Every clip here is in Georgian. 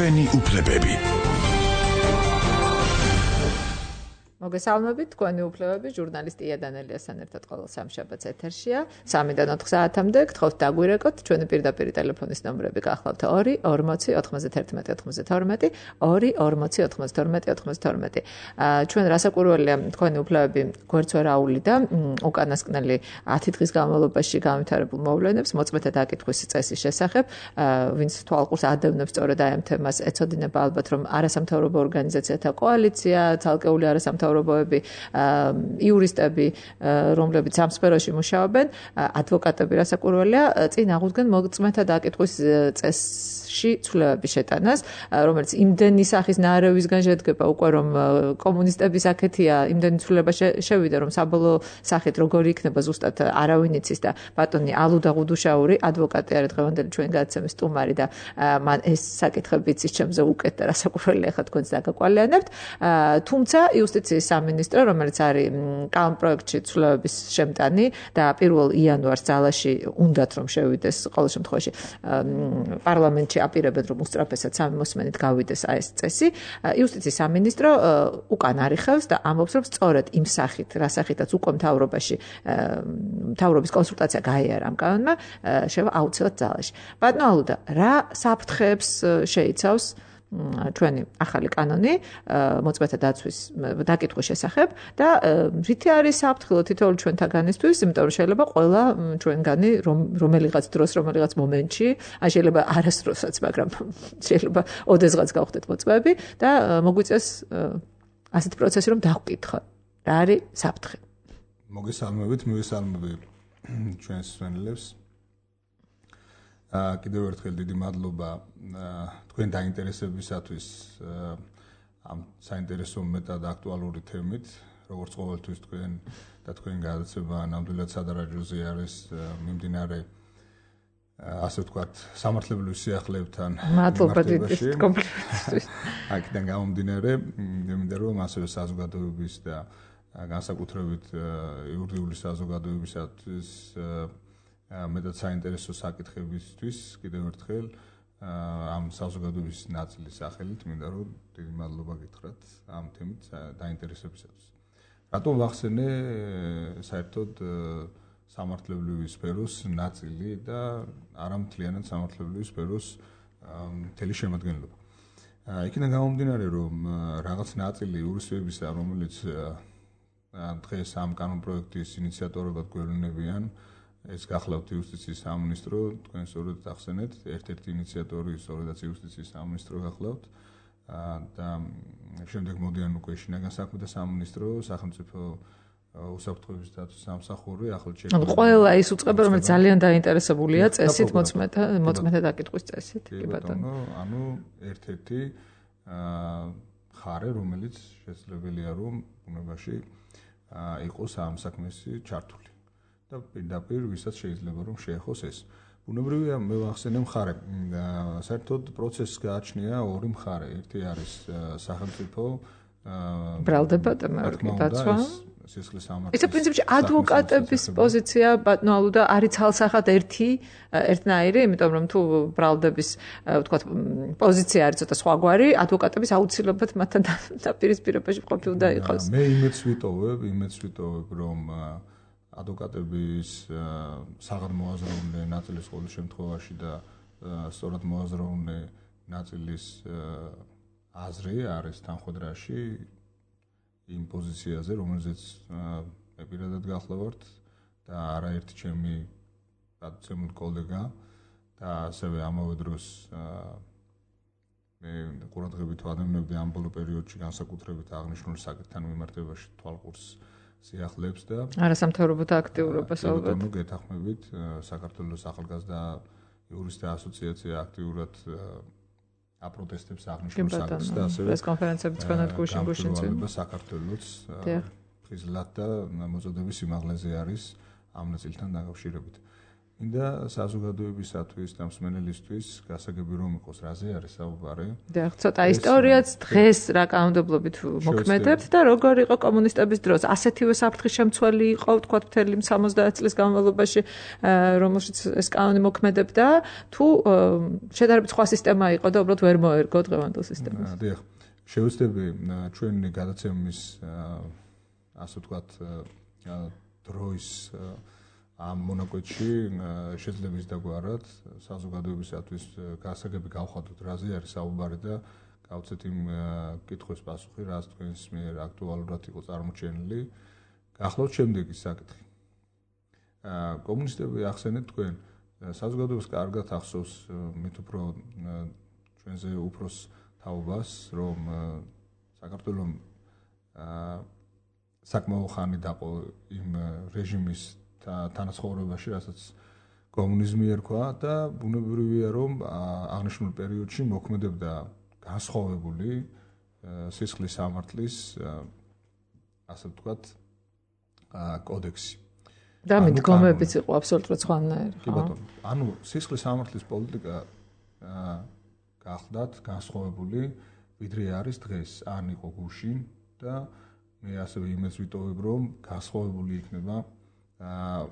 ჩვენი უფლებები. მოგესალმებით, თქვენი უფლებები, ჟურნალისტი ია-დანელიასთან ერთად ყოველ სამშაბათს ეთერშია. 3-დან 4 საათამდე გთხოვთ დაგვირეკოთ, ჩვენი პირდაპირ ტელეფონის ნომრები გახლავთ 2 40 91 92 2 40 92 92. ჩვენ რასაკვირველია, თქვენი უფლებები გვერდს ვერ აუვლიდა უკანასკნელი 10 დღის განმავლობაში განვითარებულ მოვლენებს, მოწმეთა დაკითხვის წესის შესახებ, ვინც თვალყურს ადევნებს სწორედ აი ამ თემას, ეცოდინება ალბათ, რომ არასამთავრობო ორგანიზაციათა კოალიცია, ცალკეული არასამთავრობო იურისტები, რომლებიც ამ სფეროში მუშაობენ, ადვოკატები რასაკვირველია, წინ აღუდგენ მოწმეთა დაკითხვის წესში ცვლილებების შეტანას, რომელიც იმდენი სახის ნარევისგან შედგება უკვე, რომ კომუნისტების აქეთია იმდენი ცვლილება შევიდა, რომ საბოლოო სახით როგორი იქნება ზუსტად არავინ იცის და ბატონი ალუდა ღუდუშაური, ადვოკატი არის დღევანდელი ჩვენი გადაცემის სტუმარი და მან ეს საკითხები იცის ჩემზე უკეთ და რასაკვირველია ხა თქვენს დაგაკვალიანებთ, თუმცა იუსტიციის სამინისტრო, რომელიც არის კანონ პროექტში ცვლილებების შემტანი და 1 იანვარს ძალაში უნდათ რომ შევიდეს ყოველ შემთხვევაში პარლამენტში აპირებენ რომ უსწრაფესად 3 მოსმენით გავიდეს ეს წესი. იუსტიციის სამინისტრო უკან არიხევს და ამბობს, რომ სწორედ იმ სახით, რა სახითაც უკვე მთავრობის კონსულტაცია გაიარა ამ კანონმა, შევა აუცილებლად ძალაში. ბატონო ალუდა, რა საფრთხეებს შეიცავს ჩვენი ახალი კანონი მოწმეთა დაცვის დაკითხვის შესახებ და რითი არის საფრთხილო თითოეულ ჩვენთაგანისთვის, იმიტომ რომ შეიძლება ყველა ჩვენგანი რომელიღაც დროს, რომელიღაც მომენტში, შეიძლება არასდროსაც, მაგრამ შეიძლება ოდესღაც გავხდეთ მოწმეები და მოგვიწეს ასეთი პროცესი, რომ დავკითხოთ. რა არის საფრთხე? მოგესალმებით, მივესალმები ჩვენს მსმენელებს. კიდევ ერთხელ დიდი მადლობა თქვენ დაინტერესებისათვის ამ საინტერესო მეტად აქტუალური თემით, როგორც ყოველთვის თქვენ და თქვენი გადაცემა ნამდვილად სადარაჯოზე არის მიმდინარე ასე ვთქვათ, სამართლებრივ სიახლეებთან. მადლობა დიდი კომპლიმენტისთვის. აქედან გამომდინარე, მინდა რომ ასევე საზოგადოების და განსაკუთრებით იურიდიული საზოგადოებისათვის მეტად საინტერესო საკითხებისთვის კიდევ ერთხელ ამ საზოგადოების ნაწილის სახელით მინდა რომ დიდი მადლობა გითხრათ ამ თემით დაინტერესებისათვის. რატომ ვახსენე საერთოდ სამართლებრივი სფეროს ნაწილი და არა მთლიანად სამართლებრივი სფეროს მთელი შემადგენლობა. იქიდან გამომდინარე რომ რაღაც ნაწილი იურისტებისა, რომელიც დღეს ამ კანონ პროექტის ინიციატორებად გვევლინებიან, ეს გახლავთ იუსტიციის სამინისტრო, თქვენ სწორედ ახსენეთ, ერთ-ერთი ინიციატორი სწორედაც იუსტიციის სამინისტრო გახლავთ და შემდეგ მოდიან უკვე შინაგან საქმეთა სამინისტრო, სახელმწიფო უსაფრთხოების დაცვის სამსახური, ახალ შექმნილი. ყველა ის უწყება, რომელიც ძალიან დაინტერესებულია წესით, მოწმეთა დაკითხვის წესით, კი ბატონო. ანუ ერთ-ერთი ხარე, რომელიც შესაძლებელია რომ ბუნებაში იყოს ამ საქმეში ჩართული. და პირდაპირ ვისაც შეიძლება რომ შეეხოს ეს. ბუნებრივია მე ვახსენე მხარე. საერთოდ პროცესს გააჩნია ორი მხარე. ერთი არის სახელმწიფო ბრალდება და დაცვა. სისხლის სამართლის. ეს პრინციპში ადვოკატების პოზიცია ბატონო ალუდა არის ცალსახად ერთნაირი, იმიტომ რომ თუ ბრალდების ვთქვათ პოზიცია არის ცოტა სხვაგვარი, ადვოკატების აუცილებლად მათთან დაპირისპირებაში ყოფილ და იყოს. მე იმედს ვიტოვებ, რომ ადვოკატების საღად მოაზროვნე ნაწილის ყოველ შემთხვევაში და სწორად მოაზროვნე ნაწილის აზრი არის თანხმედრაში იმ პოზიციაზე, რომელზეც მე პირადად გახლავართ და არაერთი ჩემი პატიცემული კოლეგა და ასევე ამავე დროს მე ყურადღებით ვადევნებდი ამ ბოლო პერიოდში განსაკუთრებით აღნიშნული საკითხთან მიმართებაში თვალყურს სიახლეებს და არასამთავრობოთა აქტიურობას ალბათ. ანუ გეთანხმებით საქართველოს ახალგაზრდა იურისტთა ასოციაცია აქტიურად აპროტესტებს აღნიშნულ საკითხს და ასევე პრესკონფერენციები თქვენად გუშინ-გუშინწინ საქართველოს ფიზლად და მოწოდების სიმაღლეზე არის ამ ნაწილთან დაკავშირებით. მინდა საზოგადოებისათვის და მსმენელისთვის გასაგები რომ იყოს რაზე არის საუბარი. და ცოტა ისტორიაც დღეს რა კანონმდებლობით მოქმედებთ და როგორ იყო კომუნისტების დროს ასეთივე საფრთხის შემცველი იყო თქვათ მთელი 70 წლის განმავლობაში რომელშიც ეს კანონი მოქმედებდა თუ შედარებით სხვა სისტემა იყო და უბრალოდ ვერ მოერგო დღევანდელ სისტემას. დიახ, შევეცდები ჩვენი გადაცემის ასე ვთქვათ დროის ამ მონაკვეთში შეიძლება ის დაგვარად საზოგადოებისათვის გასაგები გავხადოთ რაზე არის საუბარი და გავცეთ იმ კითხვის პასუხი რაც თქვენს მიერ აქტუალურად იყო წარმოჩენილი. გახლავთ შემდეგი საკითხი. კომუნისტები ახსენეთ თქვენ საზოგადოებას კარგად ახსოვს მით უფრო ჩვენზე უფროს თაობას რომ საქართველოს საკმაო ხანი დაყო იმ რეჟიმის თანაცხოვრებაში, რასაც კომუნიზმი ერქვა და ბუნებრივია რომ აღნიშნულ პერიოდში მოქმედებდა განსხვავებული სისხლის სამართლის ასე ვთქვათ კოდექსი. და მიდგომებიც იყო აბსოლუტურად სხვანაირი. კი ბატონო. ანუ სისხლის სამართლის პოლიტიკა გახლდათ განსხვავებული ვიდრე არის დღეს. ან იყო გუშინ და მე ასევე იმეც ვიტოვებ რომ განსხვავებული იქნება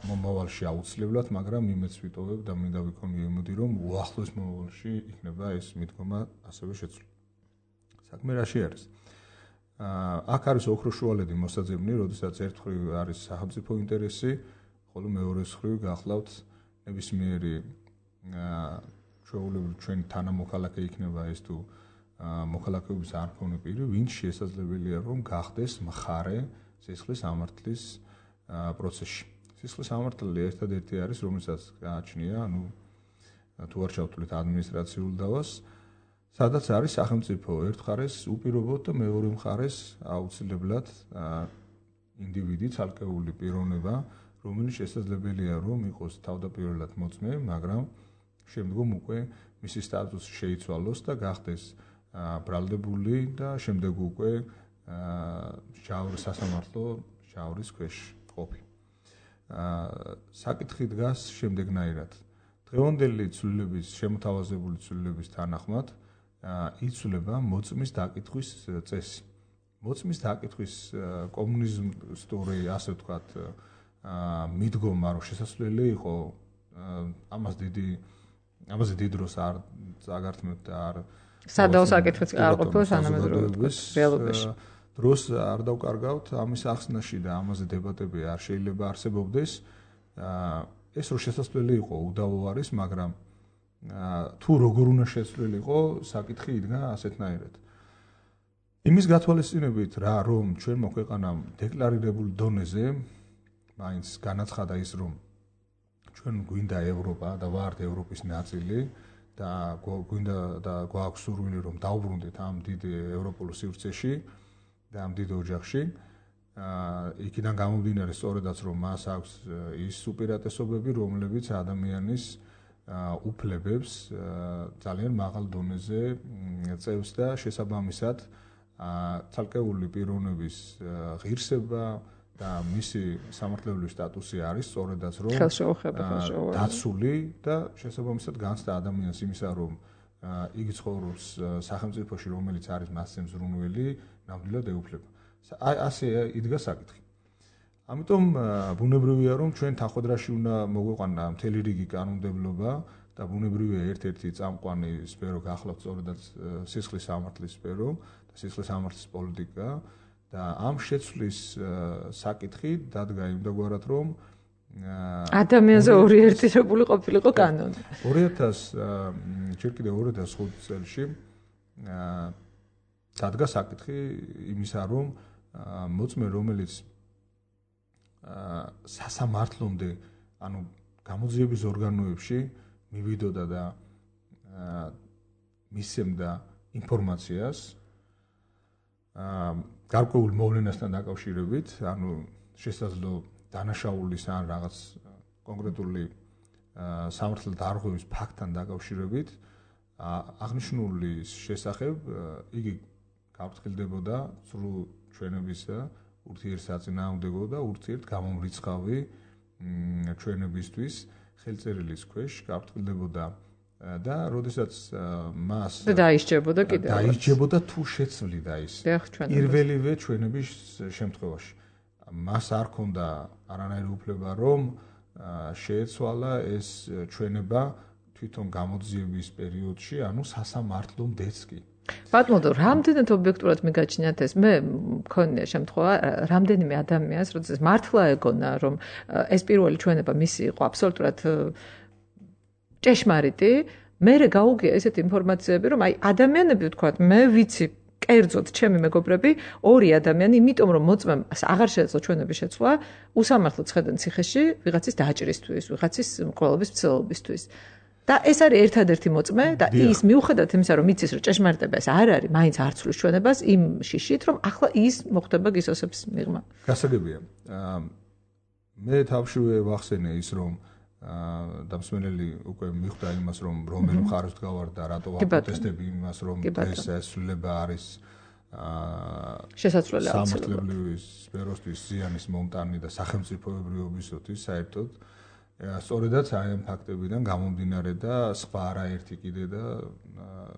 მომავალში აუცილებლად, მაგრამ იმეც ვიტოვებ და მინდა ვიქონიო იმედი რომ უახლოს მომავალში იქნება ეს მიდგომა ასევე შეცვლილი. საქმე რაში არის? აქ არის ოქროშუალედი მოსაძებნი, როდესაც ერთ მხრივ არის სახელმწიფო ინტერესი, ხოლო მეორე მხრივ გახლავთ ნებისმიერი ჩვეულებრივ ჩვენი თანამოქალაქე იქნება ეს თუ მოქალაქეობის არ მქონე პირი, ვინც შესაძლებელია რომ გახდეს მხარე სისხლის სამართლის პროცესში. სისხლის სამართალი ერთადერთი არის, რომელსაც გააჩნია, ანუ თუ არ ჩავთვლით ადმინისტრაციულ დავას, სადაც არის სახელმწიფო ერთ მხარეს უპირობოდ და მეორე მხარეს აუცილებლად ინდივიდი, ცალკეული პიროვნება, რომელიც შესაძლებელია რომ იყოს თავდაპირველად მოწმე, მაგრამ შემდგომ უკვე მისი სტატუსი შეიცვალოს და გახდეს ბრალდებული და შემდეგ უკვე სასამართლო ჟავრის ქვეშ ყოფი. საკითხი დგას შემდეგნაირად. დღევანდელი ცვლილების, შემოთავაზებული ცვლილების თანახმად იცვლება მოწმის დაკითხვის წესი. მოწმის დაკითხვის კომუნისტური, ასე ვთქვათ, მიდგომა რომ შესაძლებელი იყო ამაზე დიდ დროს არ წაგართმევთ და არ სადაო საკითხიც არ ყოფილა თანამედროვე რეალობაში. დროს არ დავკარგავთ ამის ახსნაში და ამაზე დებატები არ შეიძლება არსებობდეს. ეს რო შესაძლებელი იყო უდავო არის, მაგრამ თუ როგორ უნდა შეცვლილიყო, საკითხი იდგა ასეთნაირად. იმის გათვალისწინებით რა რომ ჩვენმა ქვეყანამ დეკლარირებულ დონეზე მაინც განაცხადა ის რომ ჩვენ გვინდა ევროპა და ვართ ევროპის ნაწილი და გვინდა და გვაქვს სურვილი რომ დავბრუნდეთ ამ დიდ ევროპულ სივრცეში და ამ დიდ ოჯახში. იქიდან გამომდინარე სწორედაც რომ მას აქვს ის უპირატესობები, რომლებიც ადამიანის უფლებებს ძალიან მაღალ დონეზე წევს და შესაბამისად ცალკეული პიროვნების ღირსება და მისი სამართლებრივი სტატუსი არის სწორედაც რომ დაცული და შესაბამისად განცდა ადამიანს იმისა რომ იგი ცხოვრობს სახელმწიფოში რომელიც არის მასზე მზრუნველი ნამდვილად ეუფლება. ასე იდგა საკითხი. ამიტომ ბუნებრივია რომ ჩვენ თანხმდრაში უნდა მოგვეყვანა მთელი რიგი კანონმდებლობა და ბუნებრივია ერთ-ერთი წამყვანი სფერო გახლავთ სწორედაც სისხლის სამართლის სფერო და სისხლის სამართლის პოლიტიკა და ამ შეცვლის საკითხი დადგა იმდაგვარად რომ ადამიანზე ორიენტირებული ყოფილიყო კანონი. 2000 ჯერ კიდევ 2005 წელს დადგა საკითხი იმისა რომ მოწმე რომელიც სასამართლომდე ანუ გამოძიების ორგანოებში მივიდოდა და მისცემდა ინფორმაციას გარკვეულ მოვლენასთან დაკავშირებით, ანუ შესაძლო დანაშაულის ან რაღაც კონკრეტული სამართლად დარღვევის ფაქტთან დაკავშირებით აღნიშნული შესახებ იგი გაფრთხილდებოდა სრულ ჩვენებისა ურთიერთსაწინააღმდეგო და ურთიერთ გამომრიცხავი ჩვენებისთვის ხელწერილის ქვეშ გაფრთხილდებოდა და როდესაც მას დაისჯებოდა კიდევ დაისჯებოდა თუ შეცვლიდა ის პირველივე ჩვენების შემთხვევაში მას არ ქონდა არანაირი უფლება რომ შეეცვალა ეს ჩვენება თვითონ გამოძიების პერიოდში ანუ სასამართლომდეც კი ბატონო, რამდენად ობიექტურად მიგაჩნიათ ეს? მე მქონია შემთხვევა, რამდენიმე ადამიანს, როდესაც მართლა ეგონა, რომ ეს პირველი ჩვენება მისი იყო აბსოლუტურად ჭეშმარიტი, მერე გაუგია ესეთი ინფორმაციები, რომ აი ადამიანები ვთქვათ, მე ვიცი კერძოდ ჩემი მეგობრები, ორი ადამიანი, იმიტომ რომ მოწმემ აღარ შეეძლო ჩვენების შეცვლა, უსამართლოდ ხედან ციხეში ვიღაცის დაჭრისთვის, ვიღაცის მკვლელობის მცდელობისთვის. და ეს არის ერთადერთი მოწმე და ის მიუხედავად იმისა რომ იცის რომ ჭეშმარიტება ეს არ არის, მაინც არ ცვლის ჩვენებას იმ შიშით რომ ახლა ის მოხდება გისოსების მიღმა. გასაგებია. მე თავშივე ვახსენე ის რომ დამსმენელი უკვე მიხვდა იმას რომ რომელი მხარეს გავარდა რატო პროტესტები იმას რომ ეს შესრულება არის შესაძლებელი სამართლებრივი სფეროსთვის ზიანის მომტანი და სახელმწიფოებრიობისათვის საერთოდ სწორედაც აი ამ ფაქტებიდან გამომდინარე და სხვა არაერთი კიდე და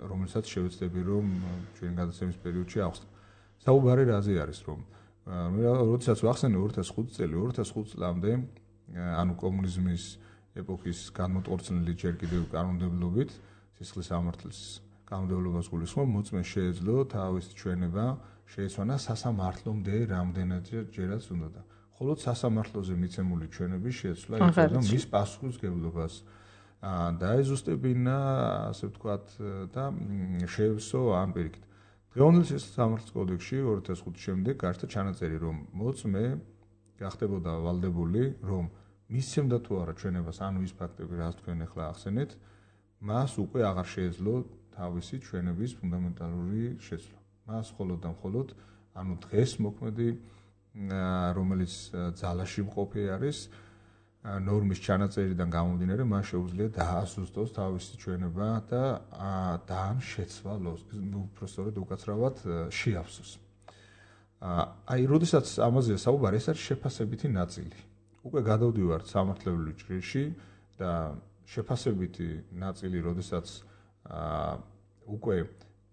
რომელსაც შევეცდები რომ ჩვენ გადაცემის პერიოდში ავხსნათ. საუბარი რაზე არის რომ როდესაც ვახსენე 2005 წელი 2005 წლამდე ანუ კომუნიზმის ეპოქის განმოტყორცნილი ჯერ კიდევ კანონმდებლობით სისხლის სამართლის კანონმდებლობას გულისხმობ მოწმეს შეეძლო თავის ჩვენება შეეცვალა სასამართლომდე რამდენადჯერაც უნდა ხოლო სასამართლოზე მიცემული ჩვენების შეცვლა იწვევდა მის პასუხისმგებლობას დაეზუსტებინა ასე ვთქვათ და შეევსო ამ პირიქით. დღევანდელ სისხლის სამართლის კოდექსში 2005 შემდეგ გარდა ჩანაწერი რომ მოწმე გახდებოდა ვალდებული რომ მისცემდა თუ არა ჩვენებას ანუ ის ფაქტები რაც თქვენ ახლა ახსენეთ მას უკვე აღარ შეეძლო თავისი ჩვენების ფუნდამენტალური შეცვლა. მას მხოლოდ და მხოლოდ ანუ დღეს მოქმედი რომელიც ძალაში მყოფი არის ნორმის ჩანაწერიდან გამომდინარე მას შეუძლია დაასუსტოს თავისი ჩვენება და ამ შეცვალოს უბრალოდ უკაცრავად შეაფსოს. აი როდესაც ამაზეა საუბარი ეს არის შეფასებითი ნაწილი. უკვე გადავდივართ სამართლებრივ ჭრილში და შეფასებითი ნაწილი როდესაც უკვე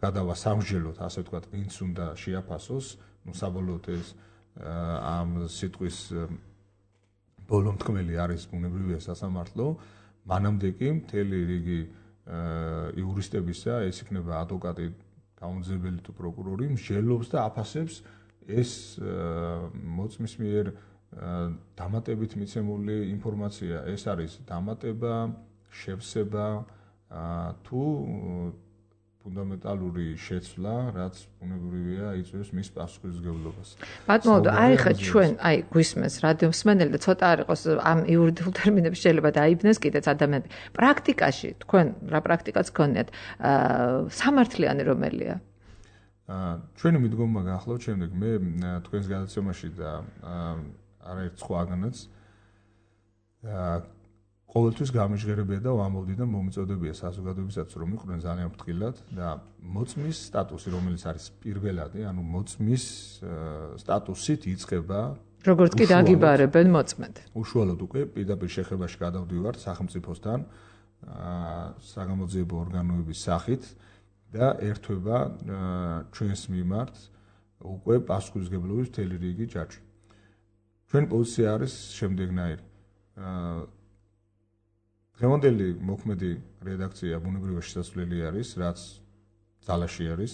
გადავა სამსჯელოდ ასე ვთქვათ ვინც უნდა შეაფასოს ნუ საბოლოოდ ეს ამ სიტყვის ბოლომთქმელი არის ბუნებრივია სასამართლო მანამდე კი მთელი რიგი იურისტებისა ეს იქნება ადვოკატი გამომძიებელი თუ პროკურორი მსჯელობს და აფასებს ეს მოწმის მიერ დამატებით მიცემული ინფორმაცია ეს არის დამატება შევსება თუ ფუნდამენტალური შეცვლა, რაც ბუნებრივია იწვევს მის პასუხისმგებლობას. ბატონო, აი ხა ჩვენ, აი გვისმენს რადიომსმენელი და ცოტა არ იყოს ამ იურიდიულ ტერმინებს შეიძლება დაიბნეს კიდეც ადამიანები. პრაქტიკაში თქვენ რა პრაქტიკაც გქონიათ? სამართლიანი რომელია? ჩვენი მიდგომა გახლავთ შემდეგ მე თქვენს გადაცემაში და არაერთ სხვაგანაც ყოველთვის გამიჟღერებია და ვამბობდი და მომიწოდებია საზოგადოებისაც რომ იყვნენ ძალიან ფრთხილად და მოწმის სტატუსი რომელიც არის პირველადი ანუ მოწმის სტატუსით იწყება როგორც კი დაგიბარებენ მოწმედ უშუალოდ უკვე პირდაპირ შეხებაში გადავდივართ სახელმწიფოსთან საგამოძიებო ორგანოების სახით და ერთვება ჩვენს მიმართ უკვე პასუხისმგებლობის მთელი რიგი ჯაჭვი. ჩვენი პოზიცია არის შემდეგნაირი დღევანდელი მოქმედი რედაქცია ბუნებრივად შესაძლებელი არის, რაც ძალაში არის,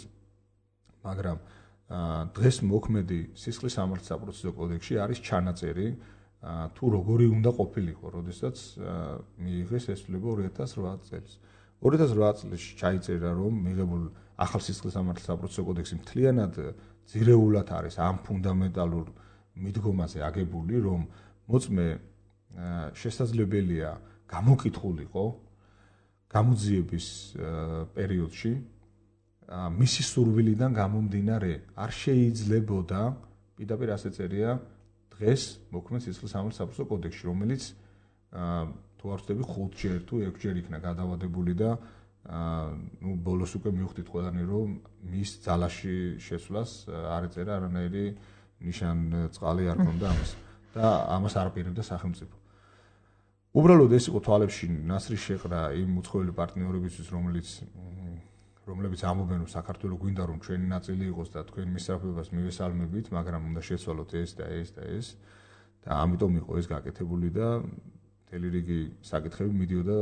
მაგრამ დღეს მოქმედი სისხლის სამართლის საპროცესო კოდექსში არის ჩანაწერი თუ როგორი უნდა ყოფილიყო, როდესაც მიიღეს ესწრება 2008 წელს. 2008 წელს ჩაიწერა, რომ მიღებულ ახალ სისხლის სამართლის საპროცესო კოდექსი მთლიანად ძირეულად არის ამ ფუნდამენტალურ მიდგომაზე აგებული, რომ მოწმე შესაძლებელია გამოკითხულიყო გამოძიების პერიოდში მისი სურვილიდან გამომდინარე არ შეიძლებოდა პირდაპირ ასე წერია დღეს მოქმედ სისხლის სამართლის საპროცესო კოდექსში რომელიც თუ არ ვცდები 5ჯერ თუ 6ჯერ იქნა გადავადებული და ნუ ბოლოს უკვე მივხვდით ყველანი რომ მის ძალაში შესვლას არ ეწერა არანაირი ნიშან წყალი არ ქონდა ამას და ამას არ აპირებდა სახელმწიფო უბრალოდ ეს იყო თვალებში ნასრის შეყრა იმ უცხოელი პარტნიორებისთვის, რომლებიც ამობენ, რომ საქართველოს გვინდა რომ ჩვენი ნაწილი იყოს და თქვენ მისწრაფებას მივესალმებით, მაგრამ უნდა შეცვალოთ ეს და ეს და ეს. და ამიტომ იყო ეს გაკეთებული და მთელი რიგი საკითხები მიდიოდა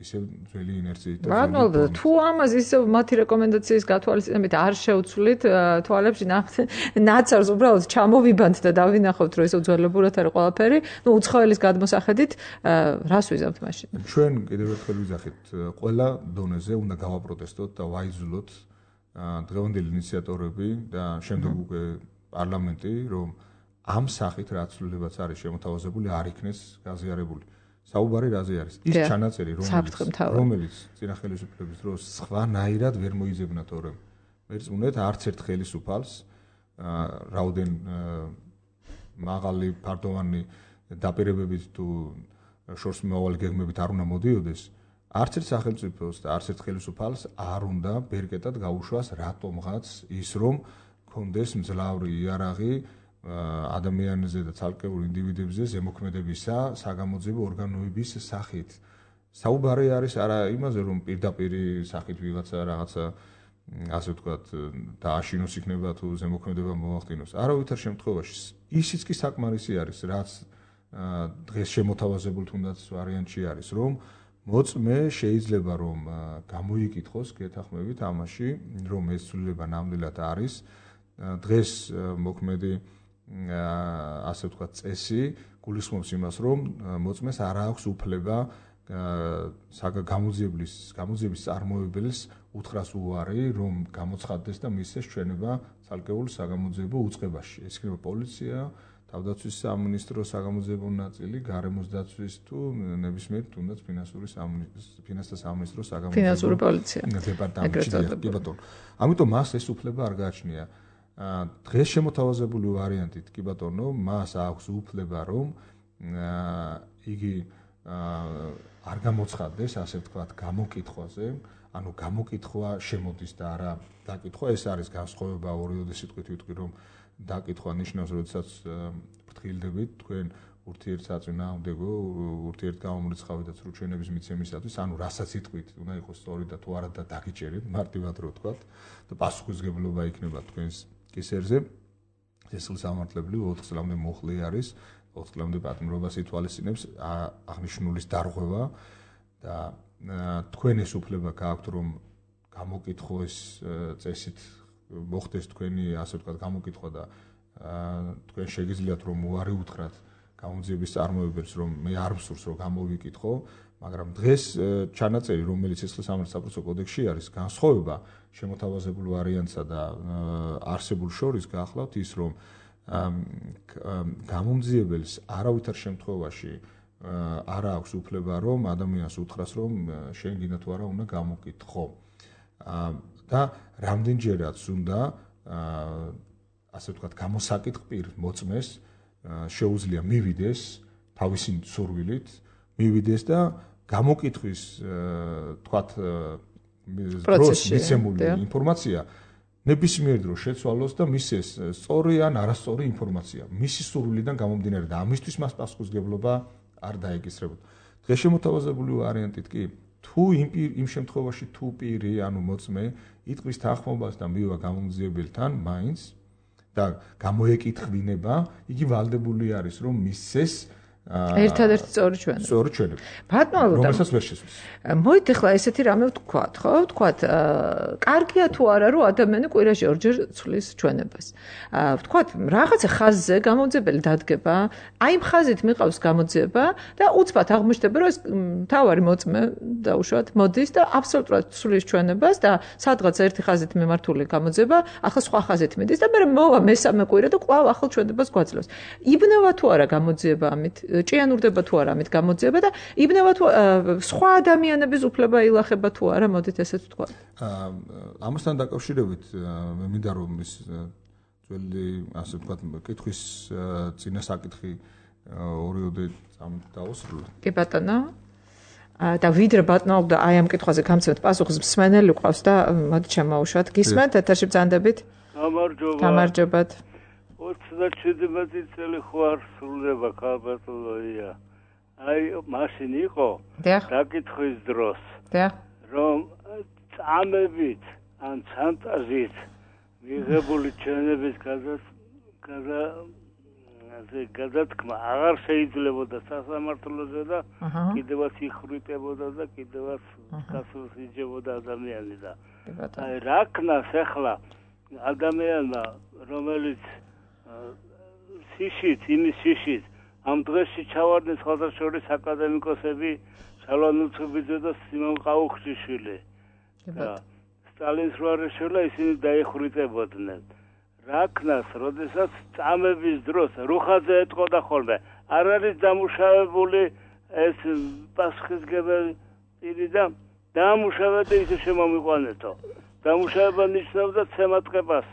ისევ ძველი ინერციით და ბატონო, თუ ამას ისევ მათი რეკომენდაციის გათვალისწინებით არ შევცვლით თვალებში ნაცარს უბრალოდ ჩამოვიბანთ და დავინახავთ, რომ ეს უძველებურად არის ყველაფერი, უცხოელის გადმოსახედით რას ვიზამთ მაშინ? ჩვენ კიდევ ერთხელ ვიზახით, ყველა დონეზე უნდა გავაპროტესტოთ და ვაიძულოთ დღევანდელი ინიციატორები და შემდეგ უკვე პარლამენტი, რომ ამ სახით რაც ცვლილებაც არის შემოთავაზებული, არ იქნეს გაზიარებული. საუბარი რაზე არის? ის ჩანაწერი, რომელიც წინა ხელისუფლების დროს სხვანაირად ვერ მოიძებნა თორემ. მერწმუნეთ, არც ერთ ხელისუფალს რაოდენ მაღალი ფარდოვანი დაპირებებით თუ შორსმომავალი გეგმებით არ უნდა მოდიოდეს, არც ერთ სახელმწიფოს და არც ერთ ხელისუფალს არ უნდა ბერკეტად გაუშვას რატომღაც ის რომ კონდეს მძლავრი იარაღი ადამიანზე და ცალკეულ ინდივიდებზე ზემოქმედებისა საგამოძიებო ორგანოების სახით. საუბარი არის არა იმაზე, რომ პირდაპირ სახით ვიღაცა რაღაცა ასე ვთქვათ დააშინოს იქნება თუ ზემოქმედება მოახდინოს. არავითარ შემთხვევაში ისიც კი საკმარისი არის, რაც დღეს შემოთავაზებულ თუნდაც ვარიანტში არის, რომ მოწმე შეიძლება რომ გამოიკითხოს გეთახმებით ამაში, რომ ეს ცვლილება ნამდვილად არის. დღეს მოქმედი ასე ვთქვათ წესი გულისხმობს იმას, რომ მოწმეს არ აქვს უფლება გამოძიების წარმოებელს უთხრას უარი, რომ გამოცხადდეს და მისცეს ჩვენება ცალკეულ საგამოძიებო უწყებაში. ეს იქნება პოლიცია, თავდაცვის სამინისტრო საგამოძიებო ნაწილი, გარემოს დაცვის თუ ნებისმიერ თუნდაც ფინანსთა სამინისტრო ფინანსური პოლიცია დეპარტამენტი. კი ბატონო. ამიტომ მას ეს უფლება არ გააჩნია. დღეს შემოთავაზებული ვარიანტით კი ბატონო, მას აქვს უფლება რომ იგი არ გამოცხადდეს, ასე ვთქვათ, გამოკითხვაზე, ანუ გამოკითხვა შემოდის და არა დაკითხვა, ეს არის განსხვავება ორიოდე სიტყვით ვიტყვი რომ დაკითხვა ნიშნავს, როდესაც ფრთხილდებით თქვენ ურთიერთსაწინააღმდეგო, ურთიერთგამომრიცხავი და სრულჩვენების მიცემისათვის, ანუ რასაც იტყვით, უნდა იყოს სწორი და თუ არა და დაგიჭერეთ, მარტივად რო ვთქვათ, და პასუხისმგებლობა იქნება თქვენს კისერზე. სისხლისამართლებელი 4 წლამდე მოხლი არის, 4 წლამდე პატიმრობას ითვალისწინებს აღნიშნულის დარღვევა და თქვენ ეს უფლება გააქვთ, რომ გამოკითხოს წესით მოხდეს თქვენი, ასე ვთქვათ, გამოკითხვა და თქვენ შეგიძლიათ რომ უარი უთხრათ გამოძიების წარმოებებს, რომ მე არ ვსურს რომ გამოვიკითხო, მაგრამ დღეს ჩანაწერი, რომელიც სისხლისამართლე საპროცესო კოდექსში არის, განსხვავება შემოთავაზებულ ვარიანტსა და არსებულ შორის გაახლავთ ის, რომ გამომძიებელს არავითარ შემთხვევაში არ აქვს უფლება, რომ ადამიანს უთხრას, რომ შენ გინდა თუ არა უნდა გამოკითხო. და რამდენჯერაც უნდა ასე ვთქვათ, გამოსაკითხ პირ მოწმეს შეუძლია მივიდეს თავისი სურვილით, მივიდეს და გამოკითხვის თქვათ დროს მიცემული ინფორმაცია ნებისმიერ დროს შეცვალოს და მისცეს სწორი ან არასწორი ინფორმაცია მისი სურვილიდან გამომდინარე და ამისთვის მას პასუხისმგებლობა არ დაეკისრებოდა. დღეს შემოთავაზებული ვარიანტით კი თუ იმ შემთხვევაში თუ პირი ანუ მოწმე იტყვის თანხმობას და მივა გამომძიებელთან მაინც და გამოეკითხვინება, იგი ვალდებული არის რომ მისცეს ერთადერთი სწორი ჩვენება. სწორი ჩვენება. ბატონო, რომელსაც ვერ შესვლის. მოვით ახლა ესეთი რამე ვთქვათ, ხო? ვთქვათ, კარგია თუ არა, რომ ადამიანი კვირაში ორჯერ ცვლის ჩვენებას. ვთქვათ, რაღაცა ხაზზე გამოძიებელი დადგება, აი იმ ხაზით მიყავს გამოძიება და უცბად აღმოჩნდება, რომ ეს მთავარი მოწმე დაუშვათ მოდის და აბსოლუტურად ცვლის ჩვენებას და სადღაც ერთი ხაზით მიმართული გამოძიება, ახლა სხვა ხაზით მიდის და მე მოვა მესამე კვირა და კვლავ ახალ ჩვენებას გვაძლევს. იბნევა თუ არა გამოძიება ამით? ჭიანურდება თუ არა ამით გამოძიება და იბნევა თუ სხვა ადამიანების უფლება ილახება თუ არა, მოდით ესეც ვთქვა. ამასთან დაკავშირებით მე მინდა რომ ის ძველი ასე ვთქვათ კითხვის წინა საკითხი ორიოდე დავუსრულო. კი ბატონო. და ვიდრე ბატონობდა აი ამ კითხვაზე გამცემთ პასუხს მსმენელი ყავს და მოდით შემოუშვათ. გისმენთ ეთერში ბრძანდებით? გამარჯობათ. 27 წელი ხوار სრულდება ქალბატონია აი მაშინ იყო დაკითხვის დროს რომ წამებით ან ფანტაზიით მიღებული ჩვენების გადათქმა აღარ შეიძლებოდა სასამართლოზე და კიდევაც იხვრიტებოდა და კიდევაც გასულს იჯებოდა ადამიანი და აი რა ქნას ახლა ადამიანმა რომელიც იმის ამ დღეში ჩავარდნენ სხვადასხვა აკადემიკოსები სალანუცუბიძე და სიმონ ყაუხჩიშვილი და სტალინს როარეშელა ისინი დაიხვრიტებოდნენ რა ქნას როდესაც წამების დროს რუხაძე ეტყოდა ხოლმე არ არის დამუშავებული ეს პასუხისმგებელი პირი და დამუშავდა ისე შემომიყვანეთო დამუშავება ნიშნავდა ცემატყებას